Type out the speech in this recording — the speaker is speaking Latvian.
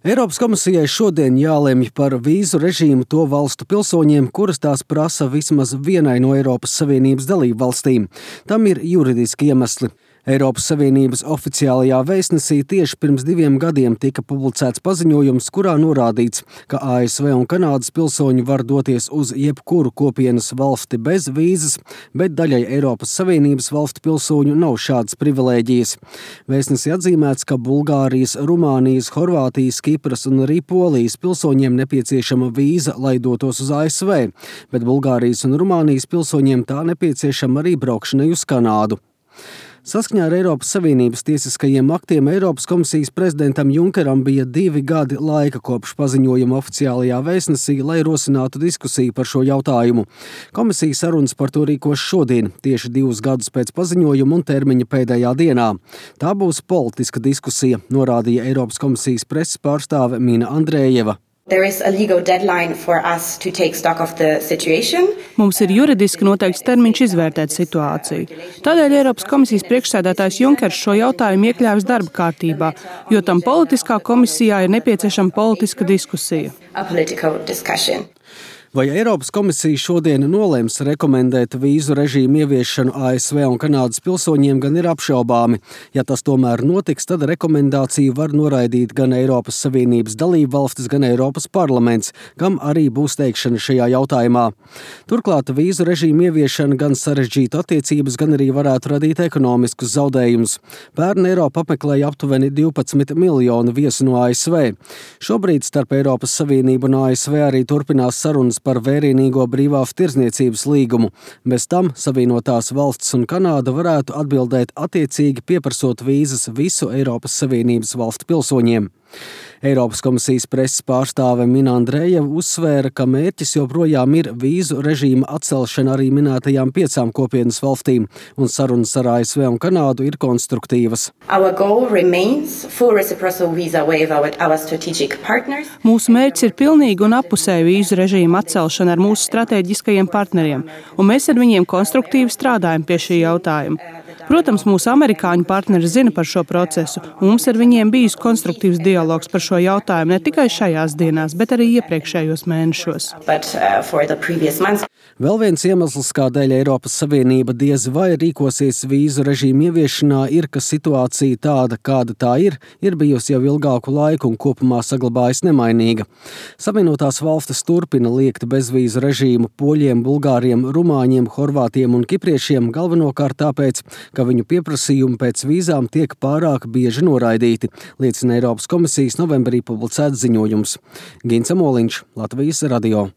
Eiropas komisijai šodien jālemj par vīzu režīmu to valstu pilsoņiem, kuras tās prasa vismaz vienai no Eiropas Savienības dalību valstīm. Tam ir juridiski iemesli. Eiropas Savienības oficiālajā vēstnesī tieši pirms 2 gadiem tika publicēts paziņojums, kurā norādīts, ka ASV un Kanādas pilsoņi var doties uz jebkuru kopienas valsti bez vīzas, bet daļai Eiropas Savienības valstu pilsoņu nav šādas privilēģijas. Vēstnesī atzīmēts, ka Bulgārijas, Rumānijas, Horvātijas, Kipras un arī Polijas pilsoņiem nepieciešama vīza, lai dotos uz ASV, bet Bulgārijas un Rumānijas pilsoņiem tā nepieciešama arī braukšanai uz Kanādu. Saskaņā ar Eiropas Savienības tiesiskajiem aktiem Eiropas komisijas prezidentam Junkeram bija 2 gadi laika kopš paziņojuma oficiālajā vēstnesī, lai rosinātu diskusiju par šo jautājumu. Komisija sarunas par to rīkos šodien, tieši 2 gadus pēc paziņojuma un termiņa pēdējā dienā. Tā būs politiska diskusija, norādīja Eiropas komisijas preses pārstāve Mina Andrejeva. Mums ir juridiski noteikts termiņš izvērtēt situāciju. Tādēļ Eiropas komisijas priekšsēdētājs Junkers šo jautājumu iekļāvis darba kārtībā, jo tam politiskā komisijā ir nepieciešama politiska diskusija. Vai Eiropas komisija šodien nolems rekomendēt vīzu režīmu ieviešanu ASV un Kanādas pilsoņiem, gan ir apšaubāmi. Ja tas tomēr notiks, tad rekomendāciju var noraidīt gan Eiropas Savienības dalību valstis, gan Eiropas parlaments, kam arī būs teikšana šajā jautājumā. Turklāt vīzu režīmu ieviešana gan sarežģītu attiecības, gan arī varētu radīt ekonomiskus zaudējumus. Pērn Eiropa apmeklēja aptuveni 12 miljonu viesu no ASV. Šobrīd starp Eiropas Savienību un ASV arī turpinās sarunas par vērienīgo brīvās tirdzniecības līgumu. Bez tam Savienotās valstis un Kanāda varētu atbildēt attiecīgi pieprasot vīzas visu Eiropas Savienības valstu pilsoņiem. Eiropas komisijas preses pārstāve Mina Andrejeva uzsvēra, ka mērķis joprojām ir vīzu režīma atcelšana arī minētajām 5 kopienas valstīm, un sarunas ar ASV un Kanādu ir konstruktīvas. Mūsu mērķis ir pilnīga un appusēja vīzu režīma atcelšana ar mūsu strateģiskajiem partneriem, un mēs ar viņiem konstruktīvi strādājam pie šī jautājuma. Protams, mūsu amerikāņu partneri zina par šo procesu, un mums ar viņiem bijis konstruktīvs dialogs par šo jautājumu ne tikai šajās dienās, bet arī iepriekšējos mēnešos. Vēl viens iemesls, kādēļ Eiropas Savienība diez vai rīkosies vīzu režīmu ieviešanā, ir, ka situācija tāda, kāda tā ir bijusi jau ilgāku laiku un kopumā saglabājas nemainīga. Savienotās valstis turpina liekt bezvīzu režīmu poļiem, bulgāriem, rumāņiem, horvātiem un kipriešiem, galvenokārt tāpēc, ka viņu pieprasījumi pēc vīzām tiek pārāk bieži noraidīti, liecina Eiropas komisijas novembrī publicēts ziņojums. Gints Amoliņš, Latvijas radio.